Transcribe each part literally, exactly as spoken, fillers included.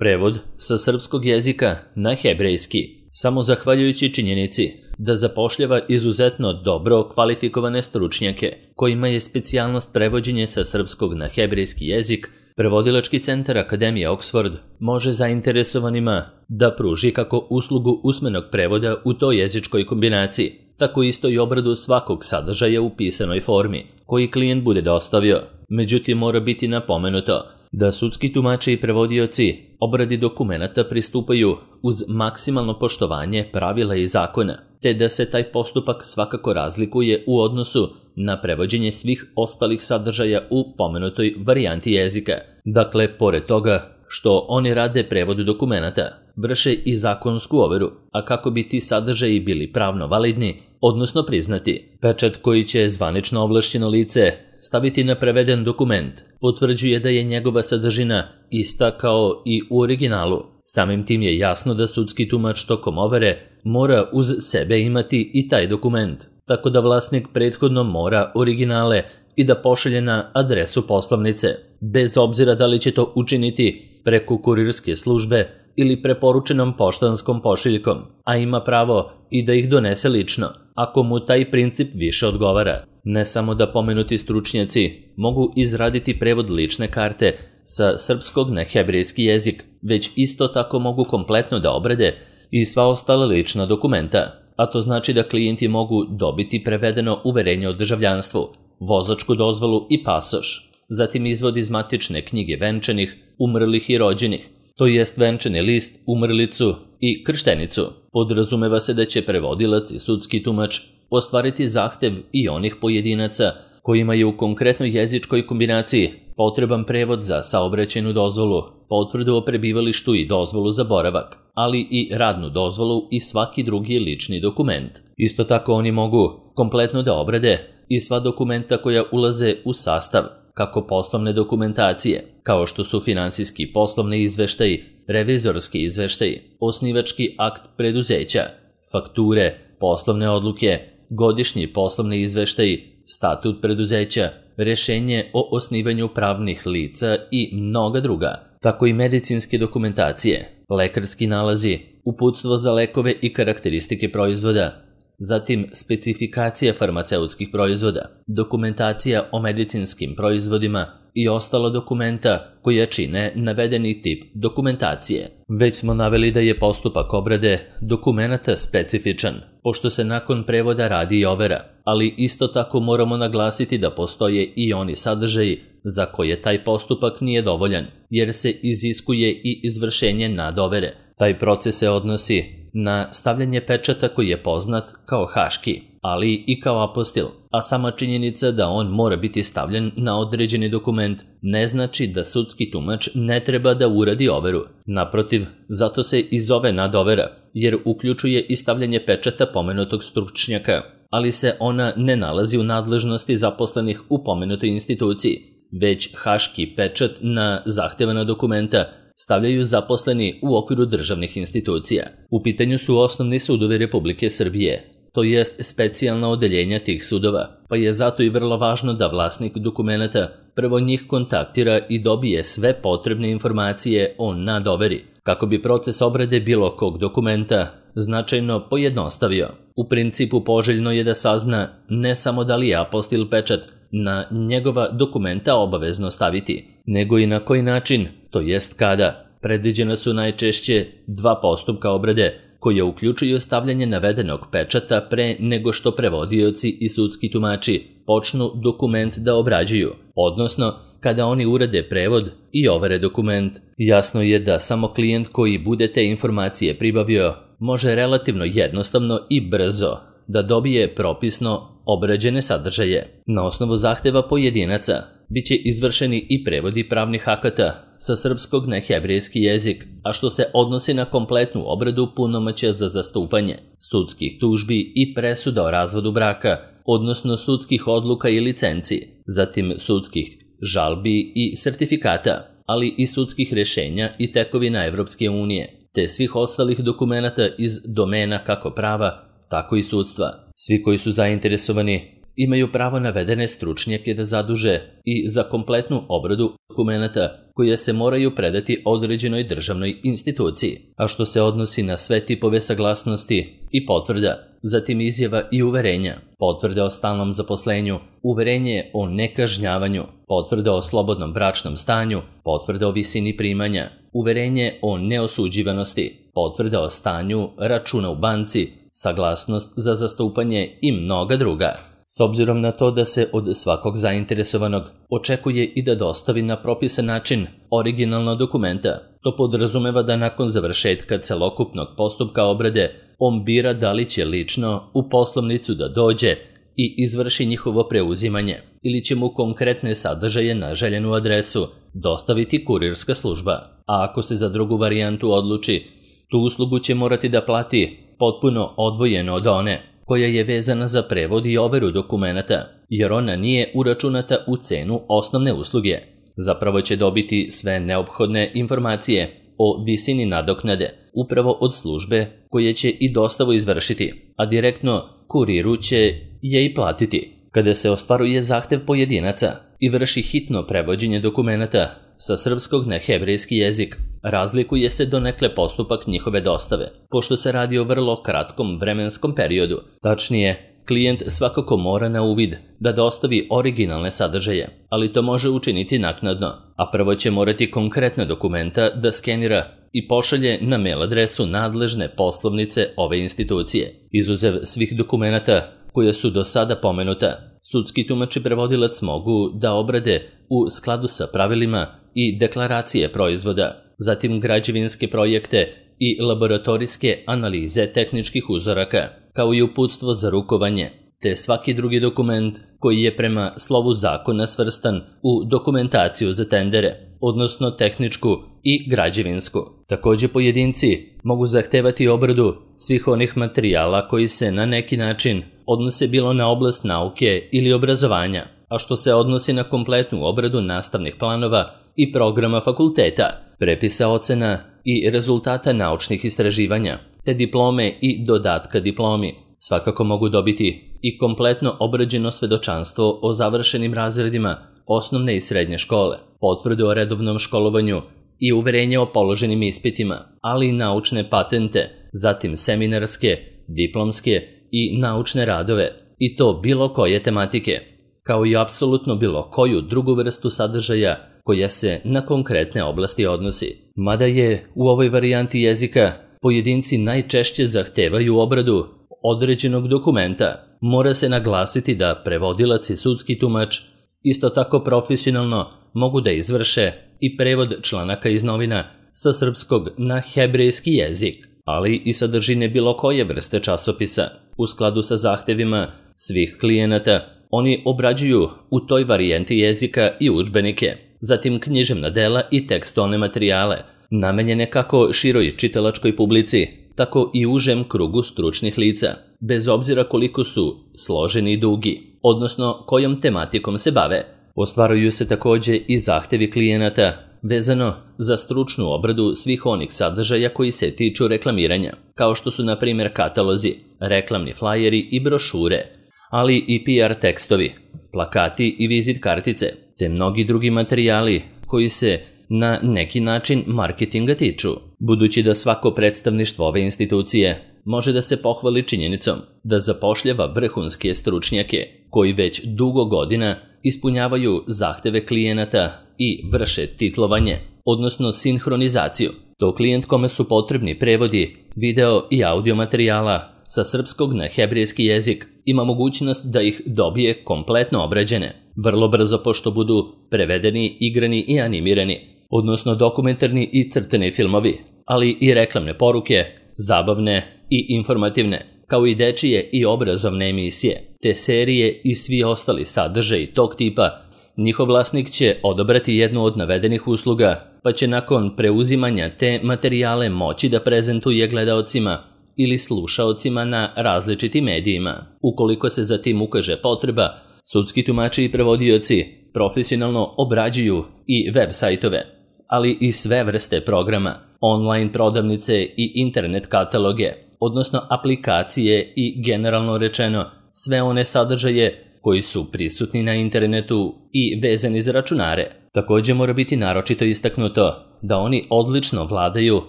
Prevod sa srpskog jezika na hebrejski, samo zahvaljujući činjenici da zapošljava izuzetno dobro kvalifikovane stručnjake, kojima je specijalnost prevođenje sa srpskog na hebrejski jezik, Prevodilački centar Akademije Oxford može zainteresovanima da pruži kako uslugu usmenog prevoda u toj jezičkoj kombinaciji, tako isto i obradu svakog sadržaja u pisanoj formi, koji klijent bude dostavio. Međutim, mora biti napomenuto da sudski tumači i prevodioci obradi dokumenata pristupaju uz maksimalno poštovanje pravila i zakona, te da se taj postupak svakako razlikuje u odnosu na prevođenje svih ostalih sadržaja u pomenutoj varijanti jezika. Dakle, pored toga što oni rade prevod dokumenata, vrše i zakonsku overu, a kako bi ti sadržaji bili pravno validni, odnosno priznati. Pečat koji će zvanično ovlašćeno lice staviti na preveden dokument potvrđuje da je njegova sadržina ista kao i u originalu. Samim tim je jasno da sudski tumač tokom overe mora uz sebe imati i taj dokument, tako da vlasnik prethodno mora originale i da pošalje na adresu poslovnice, bez obzira da li će to učiniti preko kurirske službe ili preporučenom poštanskom pošiljkom, a ima pravo i da ih donese lično, ako mu taj princip više odgovara. Ne samo da pomenuti stručnjaci mogu izraditi prevod lične karte sa srpskog na hebrejski jezik, već isto tako mogu kompletno da obrade i sva ostala lična dokumenta, a to znači da klijenti mogu dobiti prevedeno uverenje o državljanstvu, vozačku dozvolu i pasoš, zatim izvod iz matične knjige venčanih, umrlih i rođenih, to jest venčani list, umrlicu i krštenicu. Podrazumeva se da će prevodilac i sudski tumač ostvariti zahtev i onih pojedinaca kojima je u konkretnoj jezičkoj kombinaciji potreban prevod za saobraćajnu dozvolu, potvrdu o prebivalištu i dozvolu za boravak, ali i radnu dozvolu i svaki drugi lični dokument. Isto tako oni mogu kompletno da obrade i sva dokumenta koja ulaze u sastav, kako poslovne dokumentacije, kao što su finansijski poslovni izveštaji, revizorski izveštaji, osnivački akt preduzeća, fakture, poslovne odluke, godišnji poslovni izveštaji, statut preduzeća, rešenje o osnivanju pravnih lica i mnoga druga, tako i medicinske dokumentacije, lekarski nalazi, uputstvo za lekove i karakteristike proizvoda, zatim specifikacija farmaceutskih proizvoda, dokumentacija o medicinskim proizvodima i ostala dokumenta koja čine navedeni tip dokumentacije. Već smo naveli da je postupak obrade dokumenata specifičan, pošto se nakon prevoda radi i overa, ali isto tako moramo naglasiti da postoje i oni sadržaji za koje taj postupak nije dovoljan, jer se iziskuje i izvršenje nadovere. Taj proces se odnosi na stavljanje pečata koji je poznat kao haški, ali i kao apostil, a sama činjenica da on mora biti stavljen na određeni dokument ne znači da sudski tumač ne treba da uradi overu. Naprotiv, zato se i zove nadovera, jer uključuje i stavljanje pečata pomenutog stručnjaka, ali se ona ne nalazi u nadležnosti zaposlenih u pomenutoj instituciji, već haški pečat na zahtevana dokumenta stavljaju zaposleni u okviru državnih institucija. U pitanju su osnovni sudovi Republike Srbije, to jest specijalna odeljenja tih sudova, pa je zato i vrlo važno da vlasnik dokumenata prvo njih kontaktira i dobije sve potrebne informacije o nadoveri, kako bi proces obrade bilo kog dokumenta značajno pojednostavio. U principu poželjno je da sazna ne samo da li je apostil pečat na njegova dokumenta obavezno staviti, nego i na koji način, to jest kada. Predviđena su najčešće dva postupka obrade, koje uključuju stavljanje navedenog pečata pre nego što prevodioci i sudski tumači počnu dokument da obrađuju, odnosno kada oni urade prevod i overe dokument. Jasno je da samo klijent koji bude te informacije pribavio može relativno jednostavno i brzo da dobije propisno obrađene sadržaje. Na osnovu zahteva pojedinaca biće izvršeni i prevodi pravnih akata sa srpskog na hebrejski jezik, a što se odnosi na kompletnu obradu punomoćja za zastupanje, sudskih tužbi i presuda o razvodu braka, odnosno sudskih odluka i licenci, zatim sudskih žalbi i sertifikata, ali i sudskih rešenja i tekovina Evropske unije, te svih ostalih dokumenata iz domena kako prava, tako i sudstva. Svi koji su zainteresovani imaju pravo navedene stručnjake da zaduže i za kompletnu obradu dokumenata koje se moraju predati određenoj državnoj instituciji, a što se odnosi na sve tipove saglasnosti i potvrda, zatim izjava i uverenja, potvrde o stalnom zaposlenju, uverenje o nekažnjavanju, potvrde o slobodnom bračnom stanju, potvrde o visini primanja, uverenje o neosuđivanosti, potvrde o stanju računa u banci, saglasnost za zastupanje i mnoga druga. S obzirom na to da se od svakog zainteresovanog očekuje i da dostavi na propisan način originalna dokumenta, to podrazumeva da nakon završetka celokupnog postupka obrade on bira da li će lično u poslovnicu da dođe i izvrši njihovo preuzimanje ili će mu konkretne sadržaje na željenu adresu dostaviti kurirska služba. A ako se za drugu varijantu odluči, tu uslugu će morati da plati potpuno odvojeno od one koja je vezana za prevod i overu dokumenata, jer ona nije uračunata u cenu osnovne usluge. Zapravo će dobiti sve neophodne informacije o visini nadoknade upravo od službe koje će i dostavu izvršiti, a direktno kuriru će je i platiti. Kada se ostvaruje zahtev pojedinaca i vrši hitno prevođenje dokumenata sa srpskog na hebrejski jezik, razlikuje se donekle postupak njihove dostave, pošto se radi o vrlo kratkom vremenskom periodu. Tačnije, klijent svakako mora na uvid da dostavi originalne sadržaje, ali to može učiniti naknadno, a prvo će morati konkretna dokumenta da skenira i pošalje na mail adresu nadležne poslovnice ove institucije. Izuzev svih dokumenata koje su do sada pomenuta, sudski tumač i prevodilac mogu da obrade u skladu sa pravilima i deklaracije proizvoda, zatim građevinske projekte i laboratorijske analize tehničkih uzoraka, kao i uputstvo za rukovanje, te svaki drugi dokument koji je prema slovu zakona svrstan u dokumentaciju za tendere, odnosno tehničku i građevinsku. Takođe, pojedinci mogu zahtevati obradu svih onih materijala koji se na neki način odnose bilo na oblast nauke ili obrazovanja, a što se odnosi na kompletnu obradu nastavnih planova i programa fakulteta, prepisa ocena i rezultata naučnih istraživanja, te diplome i dodatka diplomi. Svakako mogu dobiti i kompletno obrađeno svedočanstvo o završenim razredima osnovne i srednje škole, potvrdu o redovnom školovanju i uverenje o položenim ispitima, ali i naučne patente, zatim seminarske, diplomske i naučne radove, i to bilo koje tematike, kao i apsolutno bilo koju drugu vrstu sadržaja koja se na konkretne oblasti odnosi. Mada je u ovoj varijanti jezika pojedinci najčešće zahtevaju obradu određenog dokumenta, mora se naglasiti da prevodilac i sudski tumač isto tako profesionalno mogu da izvrše i prevod članaka iz novina sa srpskog na hebrejski jezik, ali i sadržine bilo koje vrste časopisa. U skladu sa zahtevima svih klijenata, oni obrađuju u toj varijanti jezika i udžbenike, zatim književna dela i tekstualne materijale, namenjene kako široj čitalačkoj publici, tako i užem krugu stručnih lica, bez obzira koliko su složeni i dugi, odnosno kojom tematikom se bave. Ostvaruju se takođe i zahtevi klijenata vezano za stručnu obradu svih onih sadržaja koji se tiču reklamiranja, kao što su na primjer katalozi, reklamni flajeri i brošure, ali i P R tekstovi, plakati i vizit kartice, te mnogi drugi materijali koji se na neki način marketinga tiču. Budući da svako predstavništvo ove institucije može da se pohvali činjenicom da zapošljava vrhunske stručnjake koji već dugo godina ispunjavaju zahteve klijenata i vrše titlovanje, odnosno sinhronizaciju, to klijent kome su potrebni prevodi video i audio materijala sa srpskog na hebrejski jezik ima mogućnost da ih dobije kompletno obrađene, vrlo brzo pošto budu prevedeni, igrani i animirani, odnosno dokumentarni i crtani filmovi, ali i reklamne poruke, zabavne i informativne, kao i dečije i obrazovne emisije, te serije i svi ostali sadržaji tog tipa. Njihov vlasnik će odabrati jednu od navedenih usluga, pa će nakon preuzimanja te materijale moći da prezentuje gledaocima ili slušaocima na različitim medijima. Ukoliko se za tim ukaže potreba, sudski tumači i prevodioci profesionalno obrađuju i web sajtove, ali i sve vrste programa, online prodavnice i internet kataloge, odnosno aplikacije i generalno rečeno sve one sadržaje koji su prisutni na internetu i vezani za računare. Također mora biti naročito istaknuto da oni odlično vladaju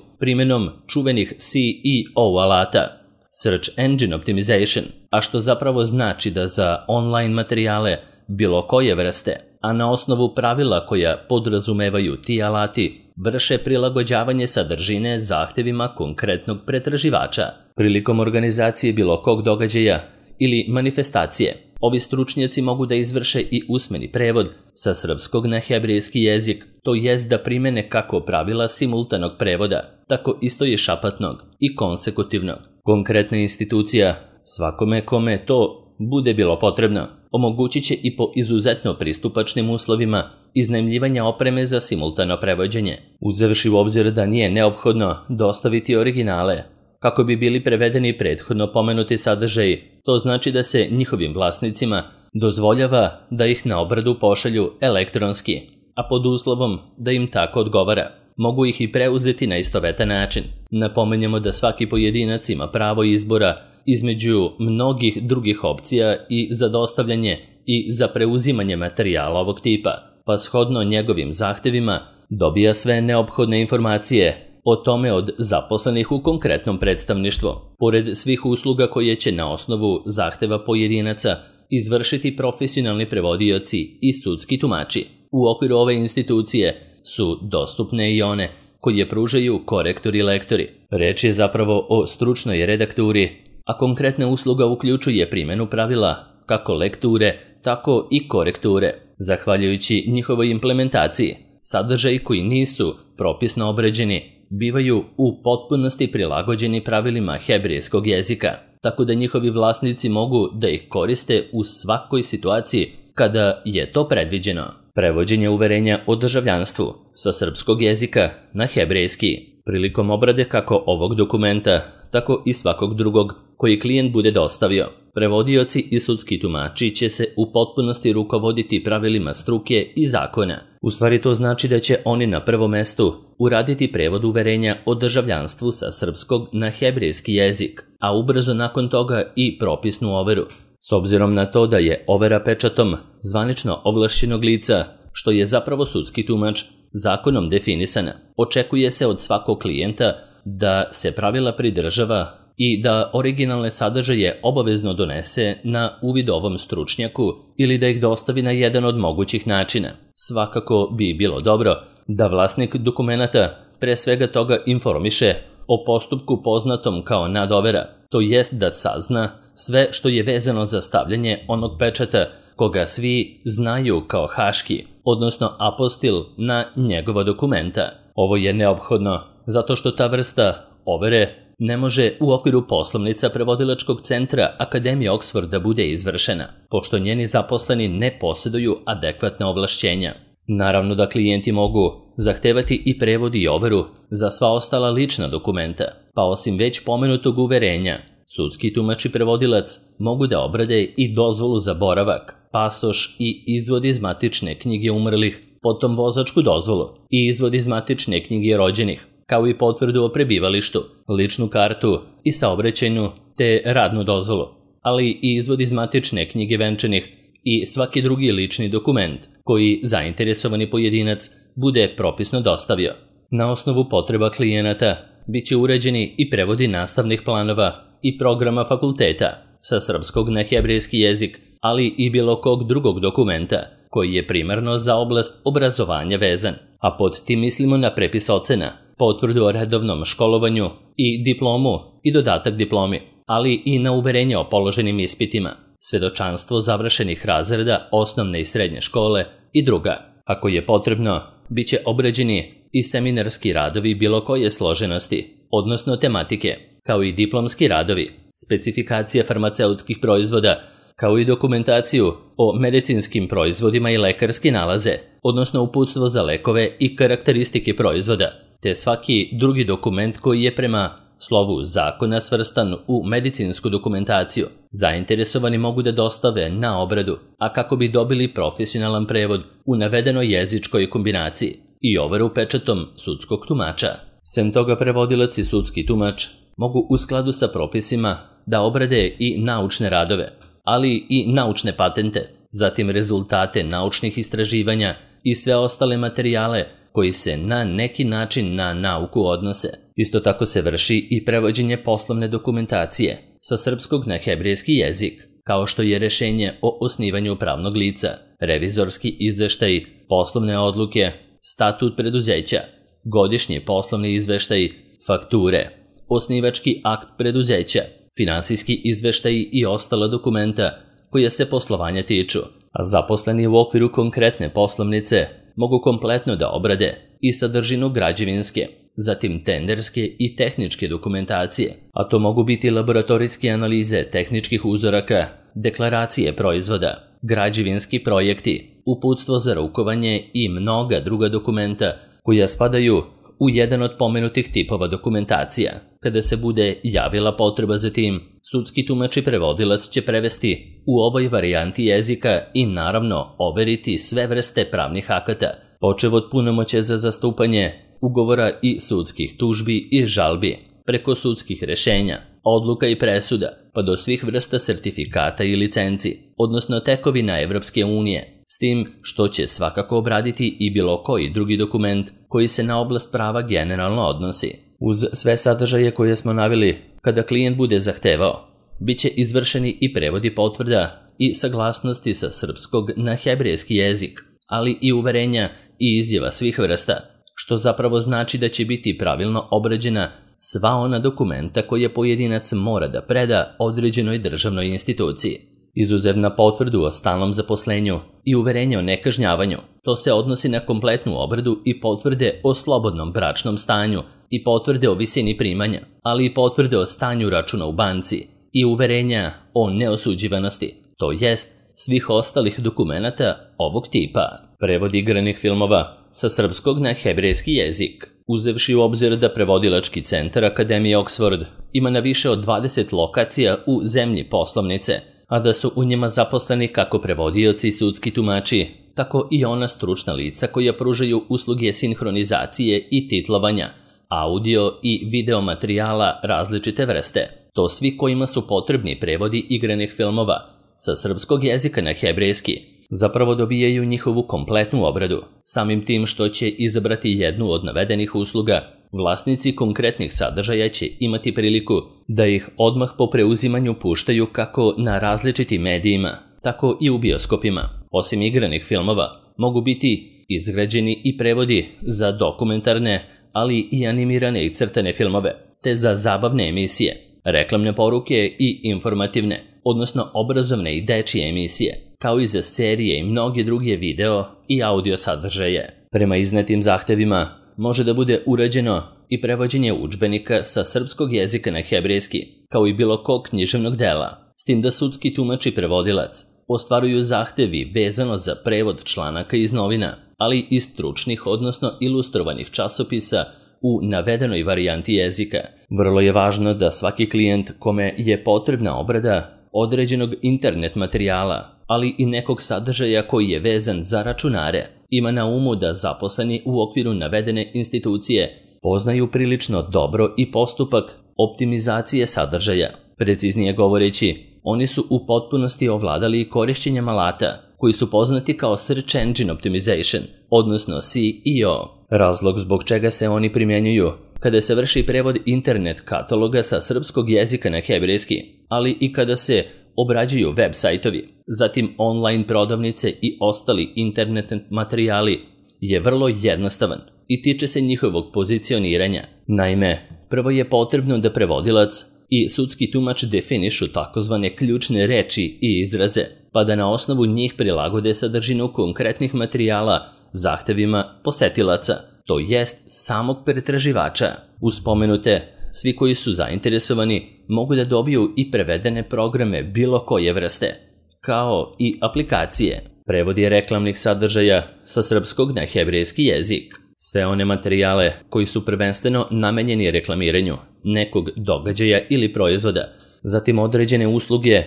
primjenom čuvenih C E O alata, Search Engine Optimization, a što zapravo znači da za online materijale bilo koje vrste, a na osnovu pravila koja podrazumevaju ti alati, vrše prilagođavanje sadržine zahtjevima konkretnog pretraživača. Prilikom organizacije bilo kog događaja ili manifestacije, ovi stručnjaci mogu da izvrše i usmeni prevod sa srpskog na hebrejski jezik, to jest da primene kako pravila simultanog prevoda, tako isto i šapatnog i konsekutivnog. Konkretna institucija svakome kome to bude bilo potrebno, omogućit će i po izuzetno pristupačnim uslovima iznajmljivanja opreme za simultano prevođenje, uzevši u obzir da nije neophodno dostaviti originale. Kako bi bili prevedeni prethodno pomenuti sadržaji, to znači da se njihovim vlasnicima dozvoljava da ih na obradu pošalju elektronski, a pod uslovom da im tako odgovara. Mogu ih i preuzeti na istovetan način. Napomenjemo da svaki pojedinac ima pravo izbora između mnogih drugih opcija i za dostavljanje i za preuzimanje materijala ovog tipa, pa shodno njegovim zahtevima dobija sve neophodne informacije o tome od zaposlenih u konkretnom predstavništvu, pored svih usluga koje će na osnovu zahteva pojedinaca izvršiti profesionalni prevodioci i sudski tumači. U okviru ove institucije su dostupne i one koje pružaju korektori i lektori. Reč je zapravo o stručnoj redakturi, a konkretna usluga uključuje primjenu pravila kako lekture, tako i korekture. Zahvaljujući njihovoj implementaciji, sadržaji koji nisu propisno obređeni bivaju u potpunosti prilagođeni pravilima hebrejskog jezika, tako da njihovi vlasnici mogu da ih koriste u svakoj situaciji kada je to predviđeno. Prevođenje uverenja o državljanstvu sa srpskog jezika na hebrejski. Prilikom obrade kako ovog dokumenta, tako i svakog drugog koji klijent bude dostavio, prevodioci i sudski tumači će se u potpunosti rukovoditi pravilima struke i zakona. U stvari to znači da će oni na prvom mestu uraditi prevod uverenja o državljanstvu sa srpskog na hebrejski jezik, a ubrzo nakon toga i propisnu overu. S obzirom na to da je overa pečatom zvanično ovlašćenog lica, što je zapravo sudski tumač, zakonom definisana, očekuje se od svakog klijenta da se pravila pridržava i da originalne sadržaje obavezno donese na uvid ovom stručnjaku ili da ih dostavi na jedan od mogućih načina. Svakako bi bilo dobro da vlasnik dokumenata pre svega toga informiše o postupku poznatom kao nadovera, to jest da sazna sve što je vezano za stavljanje onog pečata koga svi znaju kao haški, odnosno apostil na njegova dokumenta. Ovo je neophodno zato što ta vrsta overe ne može u okviru poslovnica prevodilačkog centra Akademije Oksforda bude izvršena, pošto njeni zaposleni ne posjeduju adekvatna ovlašćenja. Naravno da klijenti mogu zahtevati i prevod i overu za sva ostala lična dokumenta, pa osim već pomenutog uverenja, sudski tumač i prevodilac mogu da obrade i dozvolu za boravak, pasoš i izvod iz matične knjige umrlih, potom vozačku dozvolu i izvod iz matične knjige rođenih, kao i potvrdu o prebivalištu, ličnu kartu i saobraćajnu te radnu dozvolu, ali i izvod iz matične knjige venčanih i svaki drugi lični dokument koji zainteresovani pojedinac bude propisno dostavio. Na osnovu potreba klijenata bit će uređeni i prevodi nastavnih planova i programa fakulteta sa srpskog na hebrejski jezik, ali i bilo kog drugog dokumenta koji je primarno za oblast obrazovanja vezan, a pod tim mislimo na prepis ocena, potvrdu o redovnom školovanju i diplomu i dodatak diplomi, ali i na uverenje o položenim ispitima, svedočanstvo završenih razreda osnovne i srednje škole i druga. Ako je potrebno, bit će obrađeni i seminarski radovi bilo koje složenosti, odnosno tematike, kao i diplomski radovi, specifikacija farmaceutskih proizvoda, kao i dokumentaciju o medicinskim proizvodima i lekarski nalaze, odnosno uputstvo za lekove i karakteristike proizvoda, te svaki drugi dokument koji je prema slovu zakona svrstan u medicinsku dokumentaciju. Zainteresovani mogu da dostave na obradu, a kako bi dobili profesionalan prevod u navedenoj jezičkoj kombinaciji i overu pečatom sudskog tumača. Sem toga, prevodilac i sudski tumač mogu u skladu sa propisima da obrade i naučne radove, ali i naučne patente, zatim rezultate naučnih istraživanja i sve ostale materijale koji se na neki način na nauku odnose. Isto tako se vrši i prevođenje poslovne dokumentacije sa srpskog na hebrejski jezik, kao što je rešenje o osnivanju pravnog lica, revizorski izveštaj, poslovne odluke, statut preduzeća, godišnji poslovni izveštaj, fakture, osnivački akt preduzeća, finansijski izveštaj i ostala dokumenta koja se poslovanja tiču, a zaposleni u okviru konkretne poslovnice mogu kompletno da obrade i sadržinu građevinske, zatim tenderske i tehničke dokumentacije, a to mogu biti laboratorijske analize tehničkih uzoraka, deklaracije proizvoda, građevinski projekti, uputstvo za rukovanje i mnoga druga dokumenta koja spadaju u jedan od pomenutih tipova dokumentacija. Kada se bude javila potreba za tim, sudski tumač i prevodilac će prevesti u ovoj varijanti jezika i naravno overiti sve vrste pravnih akata, počev od punomoćja za zastupanje, ugovora i sudskih tužbi i žalbi, preko sudskih rešenja, odluka i presuda, pa do svih vrsta sertifikata i licenci, odnosno tekovina Evropske unije, s tim što će svakako obraditi i bilo koji drugi dokument koji se na oblast prava generalno odnosi. Uz sve sadržaje koje smo naveli, kada klijent bude zahtevao, bit će izvršeni i prevodi potvrda i saglasnosti sa srpskog na hebrejski jezik, ali i uverenja i izjava svih vrsta, što zapravo znači da će biti pravilno obrađena sva ona dokumenta koje pojedinac mora da preda određenoj državnoj instituciji. Izuzev na potvrdu o stalnom zaposlenju i uverenje o nekažnjavanju, to se odnosi na kompletnu obradu i potvrde o slobodnom bračnom stanju i potvrde o visini primanja, ali i potvrde o stanju računa u banci i uverenja o neosuđivanosti, to jest svih ostalih dokumenata ovog tipa. Prevod igranih filmova sa srpskog na hebrejski jezik, uzevši u obzir da prevodilački centar Akademije Oxford ima na više od dvadeset lokacija u zemlji poslovnice, a da su u njima zaposleni kako prevodioci i sudski tumači, tako i ona stručna lica koja pružaju usluge sinhronizacije i titlovanja, audio i video materijala različite vrste. To svi kojima su potrebni prevodi igranih filmova sa srpskog jezika na hebrejski zapravo dobijaju njihovu kompletnu obradu. Samim tim što će izabrati jednu od navedenih usluga, vlasnici konkretnih sadržaja će imati priliku da ih odmah po preuzimanju puštaju kako na različitim medijima, tako i u bioskopima. Osim igranih filmova, mogu biti izgrađeni i prevodi za dokumentarne, ali i animirane i crtane filmove, te za zabavne emisije, reklamne poruke i informativne, odnosno obrazovne i dečije emisije, kao i za serije i mnoge druge video i audio sadržaje. Prema iznetim zahtevima može da bude urađeno i prevođenje udžbenika sa srpskog jezika na hebrejski, kao i bilo kog književnog dela, s tim da sudski tumač i prevodilac ostvaruju zahtevi vezano za prevod članaka iz novina, ali i stručnih, odnosno ilustrovanih časopisa u navedenoj varijanti jezika. Vrlo je važno da svaki klijent kome je potrebna obrada određenog internet materijala, ali i nekog sadržaja koji je vezan za računare, ima na umu da zaposleni u okviru navedene institucije poznaju prilično dobro i postupak optimizacije sadržaja. Preciznije govoreći, oni su u potpunosti ovladali korišćenjem alata koji su poznati kao Search Engine Optimization, odnosno S E O. Razlog zbog čega se oni primjenjuju kada se vrši prevod internet kataloga sa srpskog jezika na hebrejski, ali i kada se obrađuju web sajtovi, zatim online prodavnice i ostali internet materijali, je vrlo jednostavan i tiče se njihovog pozicioniranja. Naime, prvo je potrebno da prevodilac i sudski tumač definišu takozvane ključne reči i izraze, pa da na osnovu njih prilagode sadržinu konkretnih materijala zahtevima posetilaca, to jest samog pretraživača. Uz spomenute, svi koji su zainteresovani mogu da dobiju i prevedene programe bilo koje vrste, kao i aplikacije, prevodi reklamnih sadržaja sa srpskog na hebrejski jezik, sve one materijale koji su prvenstveno namenjeni reklamiranju nekog događaja ili proizvoda, zatim određene usluge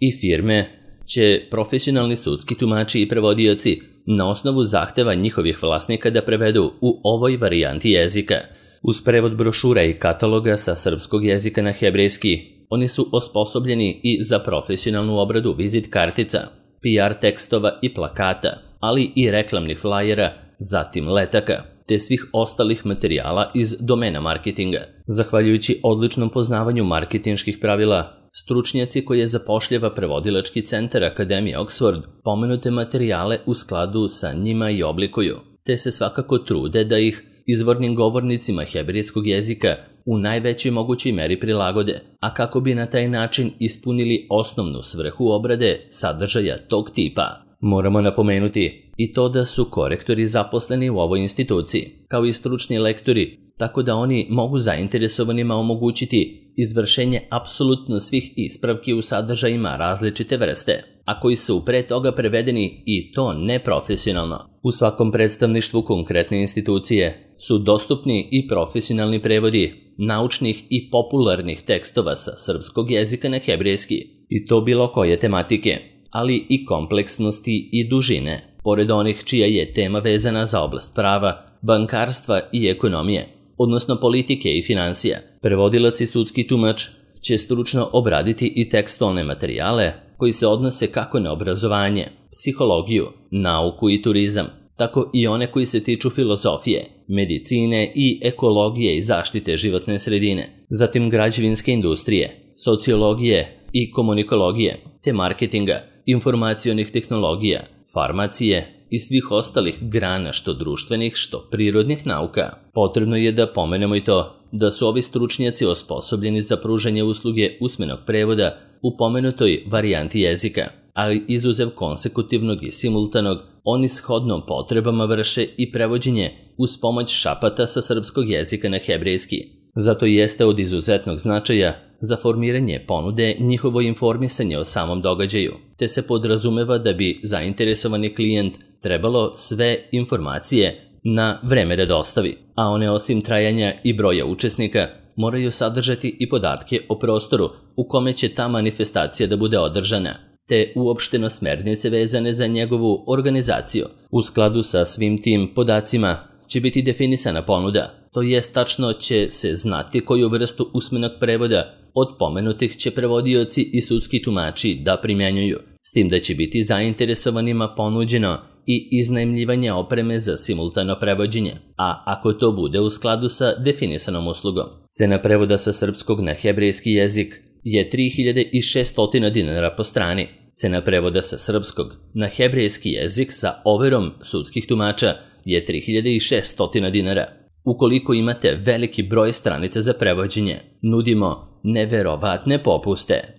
i firme će profesionalni sudski tumači i prevodioci na osnovu zahteva njihovih vlasnika da prevedu u ovoj varijanti jezika. Uz prevod brošura i kataloga sa srpskog jezika na hebrejski Oni su osposobljeni i za profesionalnu obradu vizit kartica, P R tekstova i plakata, ali i reklamnih flajera, zatim letaka, te svih ostalih materijala iz domena marketinga. Zahvaljujući odličnom poznavanju marketinških pravila, stručnjaci koje zapošljava prevodilački centar Akademije Oxford pomenute materijale u skladu sa njima i oblikuju, te se svakako trude da ih izvornim govornicima hebrejskog jezika u najvećoj mogućoj meri prilagode, a kako bi na taj način ispunili osnovnu svrhu obrade sadržaja tog tipa. Moramo napomenuti i to da su korektori zaposleni u ovoj instituciji, kao i stručni lektori, tako da oni mogu zainteresovanima omogućiti izvršenje apsolutno svih ispravki u sadržajima različite vrste, a koji su pre toga prevedeni i to neprofesionalno. U svakom predstavništvu konkretne institucije su dostupni i profesionalni prevodi naučnih i popularnih tekstova sa srpskog jezika na hebrejski, i to bilo koje tematike, ali i kompleksnosti i dužine, pored onih čija je tema vezana za oblast prava, bankarstva i ekonomije, odnosno politike i financija. Prevodilac i sudski tumač će stručno obraditi i tekstualne materijale koji se odnose kako na obrazovanje, psihologiju, nauku i turizam, tako i one koji se tiču filozofije, medicine i ekologije i zaštite životne sredine, zatim građevinske industrije, sociologije i komunikologije, te marketinga, informacionih tehnologija, farmacije i svih ostalih grana što društvenih, što prirodnih nauka. Potrebno je da pomenemo i to da su ovi stručnjaci osposobljeni za pružanje usluge usmenog prevoda u pomenutoj varijanti jezika, ali izuzev konsekutivnog i simultanog, oni shodno potrebama vrše i prevođenje uz pomoć šapata sa srpskog jezika na hebrejski. Zato jeste od izuzetnog značaja za formiranje ponude njihovo informisanje o samom događaju, te se podrazumeva da bi zainteresovani klijent trebalo sve informacije na vreme da dostavi, a one osim trajanja i broja učesnika moraju sadržati i podatke o prostoru u kome će ta manifestacija da bude održana, te uopšteno smernice vezane za njegovu organizaciju. U skladu sa svim tim podacima će biti definisana ponuda, to jest tačno će se znati koju vrstu usmenog prevoda od pomenutih će prevodioci i sudski tumači da primjenjuju, s tim da će biti zainteresovanima ponuđeno i iznajmljivanje opreme za simultano prevođenje, a ako to bude u skladu sa definisanom uslugom. Cena prevoda sa srpskog na hebrejski jezik je tri hiljade šesto dinara po strani. Cena prevoda sa srpskog na hebrejski jezik sa overom sudskih tumača je tri hiljade šesto dinara. Ukoliko imate veliki broj stranica za prevođenje, nudimo neverovatne popuste.